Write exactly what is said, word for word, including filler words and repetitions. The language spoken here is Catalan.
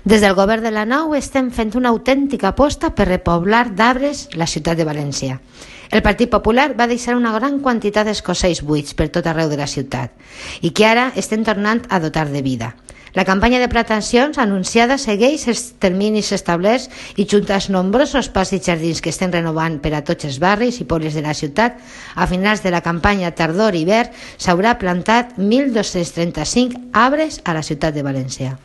Des del govern de la Nou estem fent una autèntica aposta per repoblar d'arbres la ciutat de València. El Partit Popular va deixar una gran quantitat d'escossells buits per tot arreu de la ciutat i que ara estem tornant a dotar de vida. La campanya de plantacions anunciada segueix els terminis establerts i junt als nombrosos parcs i jardins que estem renovant per a tots els barris i pobles de la ciutat, a finals de la campanya tardor-hivern s'haurà plantat mil dos-cents trenta-cinc arbres a la ciutat de València.